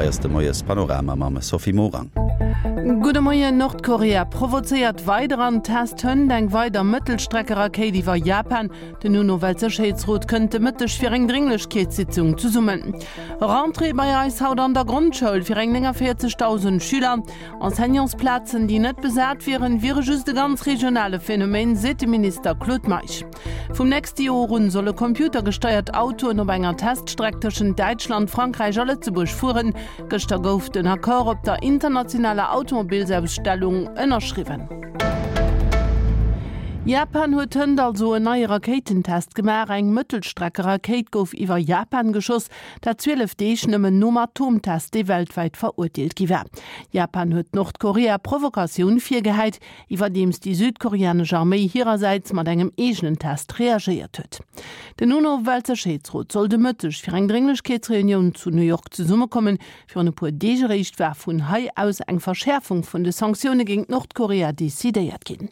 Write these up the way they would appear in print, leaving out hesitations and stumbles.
Hei ass de Moiespanorama mam Sophie Morang. Gudde Moien, Nordkorea provozéiert weider an test hënt eng weider Mëttelstreckerakéit iwwer Japan. Den UNO-Weltsécherheetsrot kënnt de Mëtteg fir eng Drénglechkeetssitzung zesummen. Rentrée bei eis haut an der Grondschoul fir eng 49.000 Schüler. Enseignantsplazen, déi net besat wieren, wiere just e ganz regionale Phänomen, seet de Minister Claude Meisch. Vum nächste Joer un solle computergesteiert Autoen op enger Teststreck tëschent Däitschland, Frankräich a Lëtzebuerg fueren. Gëschter gouf den Accord op der internationaler Automobilsausstellung ënnerschriwwen. Japan huet hënt also en neie Rakéitentest gemaach. Eng Mëttelstreckerakéit gouf iwwer Japan geschoss, dat 12 Deeg nëmmen nom Atomtest, dee weltwäit verurteelt gi war. Japan huet Nordkorea Provokatioun virgehäit, iwwerdeems déi südkoreanesch Arméi hirersäits mat engem eegenen Test reagéiert huet. Den UNO-Weltsécherheetsrot soll de Mëtteg fir eng Drénglechkeetsreunioun zu New York zesummekommen. Virun e puer Deeg eréischt war vun hei aus eng Verschäerfung vun de Sanktioune géint Nordkorea decidéiert ginn.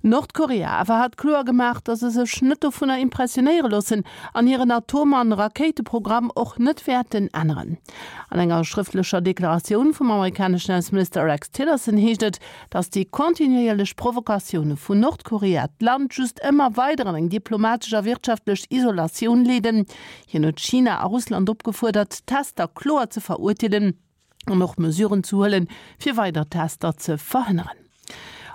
Nordkorea awer hat kloer gemaach, datt se sech net dovunner impressionéiere loossen an hiren Atom an Rakéiteprogramm och net wäerten änneren. An enger schrëftlecher Deklaratioun vum amerikaneschen Ausseminister Rex Tillerson heescht et, datt déi kontinuéierlech Provokatioune vun Nordkorea d'Land just ëmmer weider an eng diplomatesch a wirtschaftlech Isolatioun leeden. Hien huet China a Russland opgefuerdert, d'Tester kloer ze verurteelen an och Mesuren ze huelen, fir weider Tester ze verhënneren.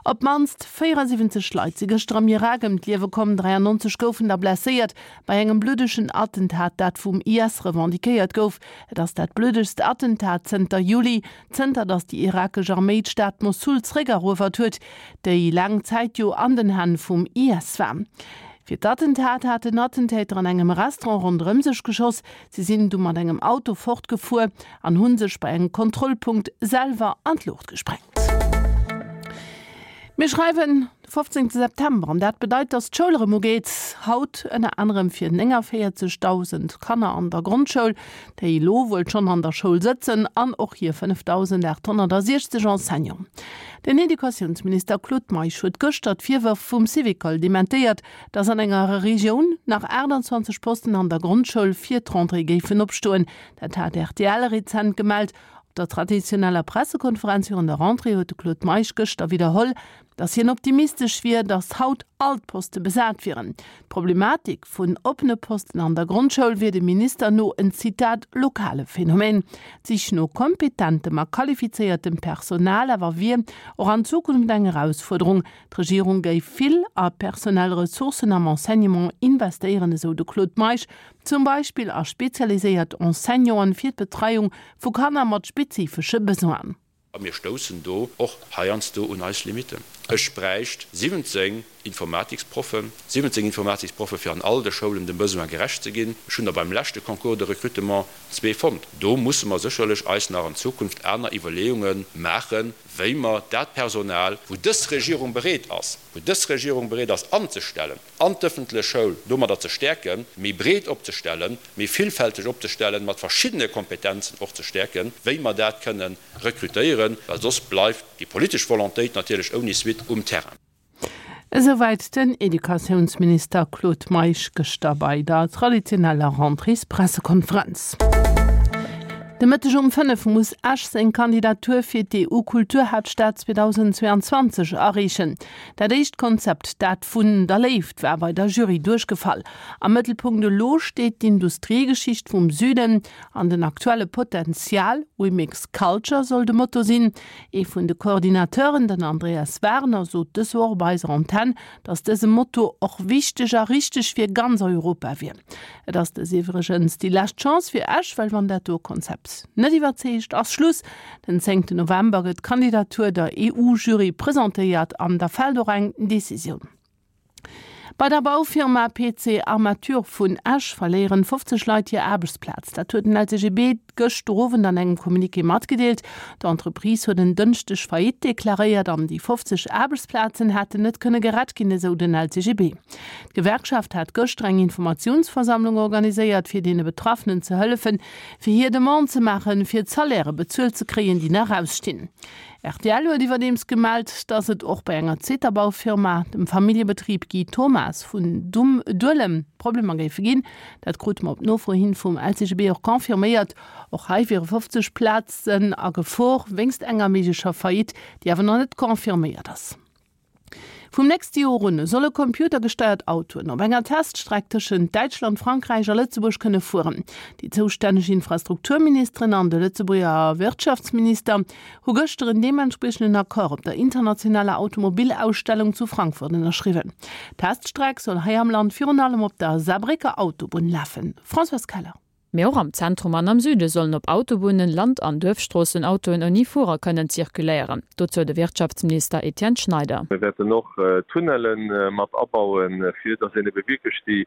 Op d'mannst 74 Leit si gëschter am Irak ëm d'Liewe komm, 93 goufen der blesséiert bei engem bluddegen Attentat, dat vum IS revendiquéiert gouf. Et ass dat bluddegst Attentat zënter Juli. Zënter datt déi irakesch Arméi d'Stad Mossul zeréckeruewert huet, déi laang Zäit jo an den Hänn vum IS war. Fir d'Attentat haten Attentäter an engem Restaurant ronderëm sech geschoss. Si sinn du mat engem Auto fortgefuer an hu sech bei engem Kontrollpunkt selwer an d'Luucht gesprengt. Mir schreiwen de 15 September an dat bedeit, datt d'Schoul erëm ugeet. Haut ënner anerem fir 49.000 Kanner an der Grondschoul, déi elo wuel schonn an der Schoul sëtzen, an och hir 5.860 Enseignanten. Den Educatiounsminister Claude Meisch huet gëschter d'Virwërf vum Syvicol dementéiert, datt an enger Regioun nach 28 Posten an der Grondschoul fir d'Rentrée géifen opstoen. Dat hat rtl rezent gemellt. Op der traditioneller Pressekonferenz virun der Rentrée huet de Claude Meisch gëschter widderholl, datt hien optimistesch wier, datt haut all d'Poste besat wieren. D'Problematik vun oppene Posten an der Grondschoul wier dem Minister no en, Zitat, lokale Phänomen. D'Sich no kompetentem a qualifizéiertem Personal awer wier och an Zukunft eng Erausfuerderung. D'Regierung géif vill a personell Ressourcen am Enseignement investéieren, esou de Claude Meisch, zum Beispill a spezialiséiert Enseignanten fir d'Betreiung vu Kanner mat spezifesche Besoinen. A mir stoussen do och heiansdo un eis Limitten. Ech bräicht 17 Informatiksproffen, 17 Informatiksproffe fir an all de Schoulen dem Besoin gerecht ze ginn. Ech hunn der beim leschte Concours de recrutement zwee fonnt. Do musse mer sécherlech eis nach an Zukunft aner Iwwerleeunge maachen, wéi mer dat Personal, wou dës Regierung bereet ass, wou dës Regierung bereet ass anzestellen, an d'ëffentlech Schoul domadder ze stäerken, méi breet opzestellen, méi villfälteg opzestellen, mat verschiddene Kompetenzen och ze stäerken, wéi mer dat kënnen rekrutéieren, well soss bleift déi politesch Volontéit natierlech ouni Suite um Terrain. Esouwäit den Educatiounsminister Claude Meisch gëschter bei der traditioneller Rentréespressekonferenz. De Mëtteg um 5 muss Esch seng Kandidatur fir d'EU-Kulturhaaptstad 2022 areechen. Dat éischt Konzept, dat vun der Léift, war bei der Jury duerchgefall. Am Mëttelpunkt elo steet d'Industriegeschicht vum Süden an den aktuelle Potenzial. We mix culture soll de Motto sinn. Ee vun de Coordinateuren, den Andreas Werner, sot dës Woch op eiser Antenn, datt dëse Motto och wichteg a richteg fir ganz Europa wier. Et ass dës iwwregens déi lescht Chance fir Esch, well wann dat do Konzept net iwwerzeegt, ass Schluss. Den zéngten November gëtt d'Kandidatur der EU-Jury presentéiert an da fält och eng Decisioun. Bei der Baufirma PC Armature vun Esch verléieren 50 Leit hir Aarbechtsplaz. Dat huet den LCGB gëschter Owend an engem Communiqué matgedeelt. D'Entreprise huet en Dënschdeg Faillite deklaréiert an déi 50 Aarbechtsplazen hätten net kënne gerett ginn, esou den LCGB. D'Gewerkschaft hat gëschter eng Informatiounsversammlung organiséiert, fir deene Betraffenen ze hëllefen, fir hir Demande ze maachen, fir d'Salairë bezuelt ze kréien, déi nach ausstinn. Rtl huet iwwerdeems gemellt, datt et och bei enger zweeter Baufirma, dem Familljebetrib Guy Thomas vun Duelem, Problemer géife ginn. Dat krute mer op Nofro hin vum LCGB och confirméiert. Och hei wiere 50 Plazen a Gefor wéinst enger méiglecher Faillite, déi awer nach net confirméiert ass. Vum nächste Joer un solle computergesteiert Autoen op enger Teststreck tëschent Däitschland, Frankräich a Lëtzebuerg kënne fueren. Déi zoustänneg Infrastrukturministeren an de Lëtzebuerger Wirtschaftsminister hu gëschter en deementspriechenden Accord op der internationaler Automobilausstellung zu Frankfurt ënnerschriwwen. D'Teststreck soll hei am Land virun allem op der Saarbrécker Autobunn lafen. Françoise Keller. Mee och am Zentrum an am Süde sollen op Autobunnen, Land an Duerfstroossen Autoen ouni Fuerer kënnen zirkuléieren. Dozou de Wirtschaftsminister Etienne Schneider. Mir wäerten och Tunnelle mat abauen, fir datt een ebe wierklech déi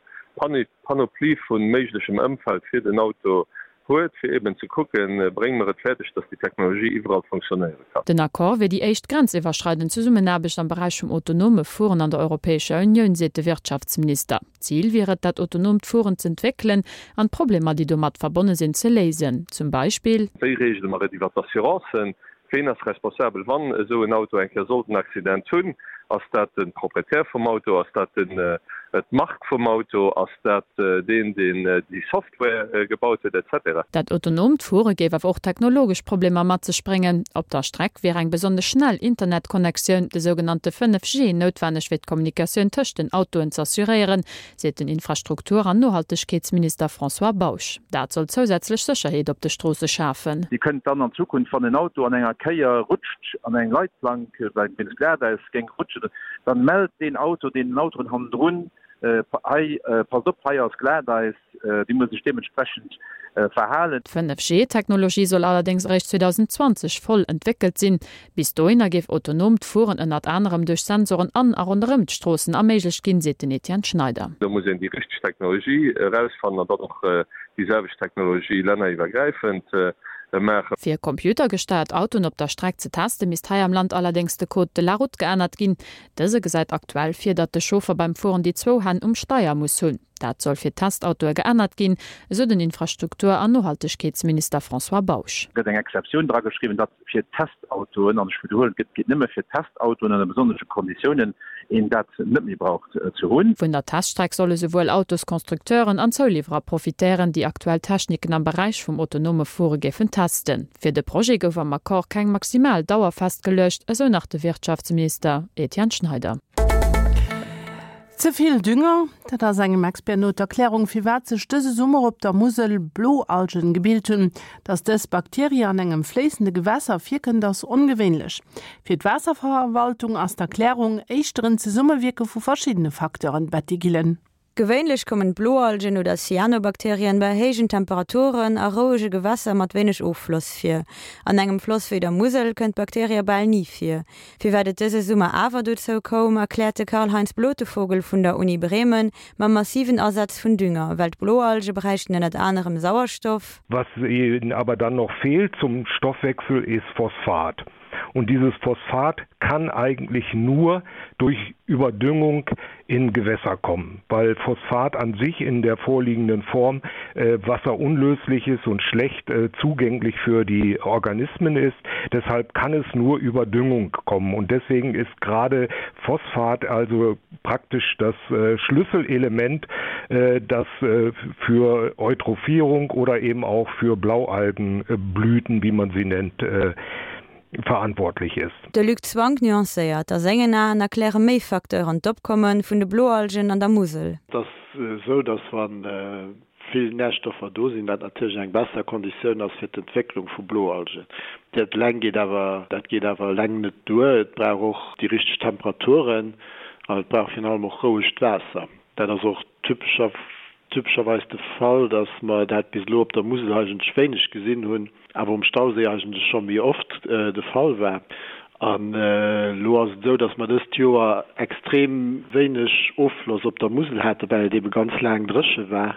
Panoplie vu méiglechem Ëmfeld fir den Auto huet, fir eben ze kucken, brénge mer et fäerdeg, datt déi Technologie iwwerall fonctionnéiere kann. Den Accord wier déi éischt grenziwwerschreidend Zesummenaarbecht am Beräich vum autonome Fueren an der Europäescher Unioun, seet de Wirtschaftsminister. Zil wier et, dat autonoomt Fueren z'entwéckelen an d'Problemer, déi domat verbonne sinn, ze léisen. Zum Beispill. Wéi reegele mer et iwwer d'Assurancen? Ween ass responsabel, wann esou en Auto eng Kéier sollt en Accident hunn? Ass dat de Proprietär vum Auto? Ass dat d'Mark vum Auto? Ass dat deen, deen déi Software gebaut huet? Etc. Dat autonoomt Fuere géif awer och technologesch Problemer mat sech bréngen. Op der Streck wier eng besonnesch schnell Internetconnectioun, de sougenannte 5G, noutwenneg fir d'Kommunikatioun tëscht den Autoen z'assuréieren, seet den Infrastruktur an Nohaltegkeetsminister François Bausch. Dat soll zousätzlech Sécherheet op de Stroosse schafen. Dir kënnt dann an Zukunft, wann en Auto an enger Kéier rutscht, an eng Leitplank, well wéinst Glatäis géing rutschen, dann mellt deen Auto deenen Autoen hannendrun, Hei, passt op, hei ass Glatäis, Dir musst Iech deementsprechend verhalen. D'Fënnef-G-Technologie soll allerdéngs eréischt 2020 voll entwéckelt sinn. Bis dohinner géif autonoomt Fueren ënnert anerem duerch Sensoren an a ronderëm d'Stroossen erméiglecht ginn, seet den Etienne Schneider. Do muss een déi richteg Technologie erausfannen an dann och déi selwecht Technologie länneriwwergräifend maachen. Fir computergesteiert Autoen op der Streck ze testen, misst hei am Land allerdéngs de Code de la route geännert ginn. Dëse gesäit aktuell vir, datt de Chauffer beim Fueren déi zwou Hänn um Steier muss hunn. Dat soll fir d'Testautoe geännert ginn, esou den Infrastruktur an Nohaltegkeetsminister François Bausch. Gëtt eng Exceptioun drageschriwwen, datt fir Testautoen, an ech widderhuelen, et geet nëmme fir Testautoen ënner besonnesche Konditiounen, een dat net méi brauch ze hunn. Vun der Teststreck solle souwuel Autosconstructeuren an Zouliwwerer profitéieren, déi aktuell Techniken am Beräich vum autonome Fuere géifen testen. Fir de Projet gouf am Accord keng maximal Dauer festgeluecht, esou nach de Wirtschaftsminister Etienne Schneider. Ze vill Dünger, dat ass engem Expert no d'Erklärung, firwat sech dëse Summer op der Musel Bloalgen gebilt hunn. Datt dës Bakterie an engem fléissende Gewässer virkënnt, ass ongewéinlech. Fir d'Waasserverwaltung ass d'Erklärung éischter en Zesummewierke vu verschiddene Facteuren, Betty Gillen. Gewéinlech kommen Bloalgen oder Cyanobakterien bei héijen Temperaturen a rouege Gewässer mat wéineg Offloss vir. An engem Floss wéi der Musel kënnt d'Bakterie bal ni vir. Firwat et dëse Summer awer dozou koum, erkläert de Karl-Heinz Blotevogel vun der Uni Bremen mam massiven Asaz vun Dünger, well d'Bloalge bräichten ënnert anerem Sauerstoff, Was ihnen aber dann noch fehlt zum Stoffwechsel ist Phosphat. Und dieses Phosphat kann eigentlich nur durch Überdüngung in Gewässer kommen, weil Phosphat an sich in der vorliegenden Form äh, wasserunlöslich ist und schlecht äh, zugänglich für die Organismen ist. Deshalb kann es nur über Düngung kommen und deswegen ist gerade Phosphat also praktisch das äh, Schlüsselelement, äh, das äh, für Eutrophierung oder eben auch für Blaualgenblüten, wie man sie nennt, äh, verantwortlich ist. De Luc Zwank nuancéiert, A sengen Aen erkläre méi Facteuren d'Opkomme vun de Bloalgen an der Musel. Et ass esou, datt wa vill Närstoffer do sinn, dat natierlech eng besser Konditioun ass fir d'Entwécklung vu Bloalgen. Dat eleng geet awer, dat geet awer eleng net duer. Et brauch och déi richteg Temperaturen an et brauch virun allem och rouegt Waasser. Dat ass och typescher, typescherweis de Fall, datt mer dat bis elo op der Musel eigentlech wéineg gesinn hunn. awer um Stauséi eigentlech scho méi oft de Fall war. An elo ass et esou, datt mer dëst Joer extrem wéineg Offloss op der Musel haten, well et eebe ganz laang dréche war,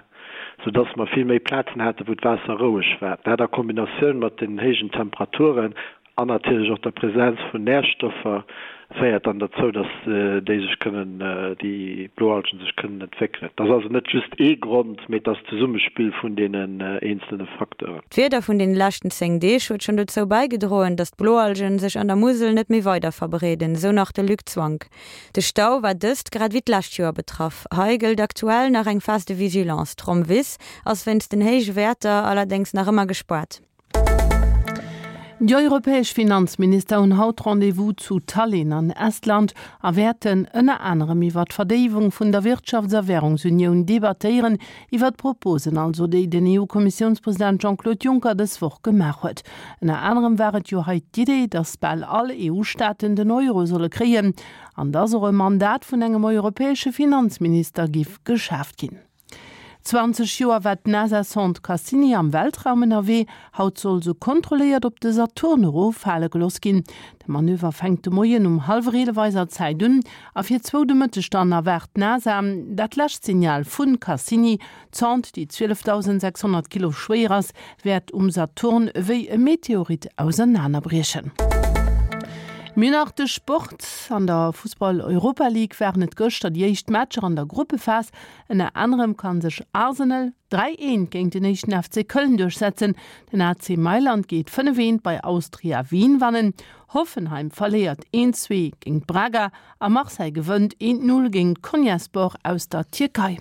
sou datt mer vill méi Plazen haten, wou d'Waasser roueg war. Dat a Kombinatioun mat den héijen Temperaturen. An natierlech och der Präsenz vun Närstoffer féiert dann derzou, dass déi sech kënnen, déi Bloalgen sech kënnen entwéckelen. Et ass also net just ee Grond, mee et ass d'Zesummespill vun deenen eenzelne Facteuren. D'Wieder vun den leschten 10 Deeg huet schonn dozou bäigedroen, datt d'Bloalgen sech an der Musel net méi weider verbreeden, sou nach de Luc Zwank. De Stau war dëst grad ewéi d'lescht Joer betraff. Hei gëllt aktuell nach eng Phase de vigilance. D'Rommwiss ass wéinst den héije Wäerter allerdéngs nach ëmmer gespaart. Déi europäesch Finanzminister hunn haut Rendez-vous zu Tallinn an Estland a wäerten ënner anerem iwwer d'Verdéiwung vun der Wirtschafts a Wärungsunioun debattéieren, iwwer d'Proposen also, déi den EU-Kommissiounspresident Jean-Claude Juncker dës Woch gemaach huet. Ënner anerem war et jo hei d'Idee, datt bal all EU-Staaten den Euro solle kréien an datt och e Mandat vun engem europäesche Finanzminister giff geschaaft ginn. 20 Joer war d'NASA-Sonde Cassini am Weltraum ënnerwee. Haut soll se kontrolléiert op de Saturn eroffale gelooss ginn. De Manöver fänkt de Moien um hallwer 11 eiser Zäit un a fir zwou de Mëtteg dann erwaart d'NASA dat lescht Signal vu Cassini. D'Sonde, déi 12.600 Kilo schwéier ass, wäert um Saturn ewéi e Meteorit ausernanerbriechen. Mir hunn nach de Sport. An der Fussball-Europa League waren et gëschter déi éischt Matcher an der Gruppephas. Ënner anerem kann sech Arsenal 3, 1 géint den éischten FC Köln duerchsetzen, den AC Mailand geet 5, 1 bei Austria Wien wannen, Hoffenheim verléiert 1, 2 géint Braga a Marseille gewënnt 1, 0 géint Konyaspor aus der Tierkei.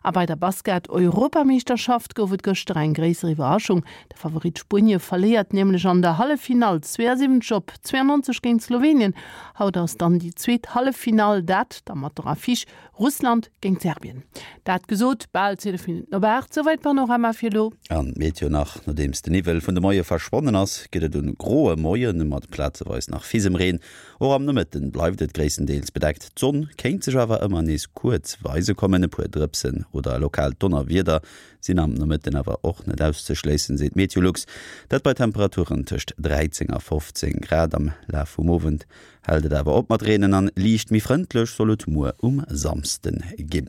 A bei der Basket-Europameeschterschaft gouf et gëschter eng gréisser Iwwerraschung. De Favorit Spuenie verléiert nämlech an der Halleffinall 72 op 92 géint Slowenien. Haut ass dann déi zweet Halleffinall, dat da mat der Affiche Russland géint Serbien. Dat gesot, bal 12 Minutten op 8, souwäit Panorama fir elo. An d'Meteo nach, Nodeems de Niwwel vun de Moie verschwonnen ass, gëtt et en groe Moien mat plazeweis nach Fisemreen. Och am Nomëtten bleift et gréisstendeels bedeckt, d'Sonn kéint sech awer ëmmer nees kuerz weise kommen. E puer Drëpsen oder e lokaalt Donnerwieder sinn am Nomëtten awer och net auszeschléissen, seet Meteolux. Dat bei Temperaturen tëscht 13 a 15 Grad. Am Laf vum Owend Hält et awer op mat reenen an liicht méi frëndlech soll et muer um Samsden ginn.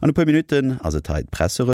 An e puer Minutten ass et hei d'Presserevue.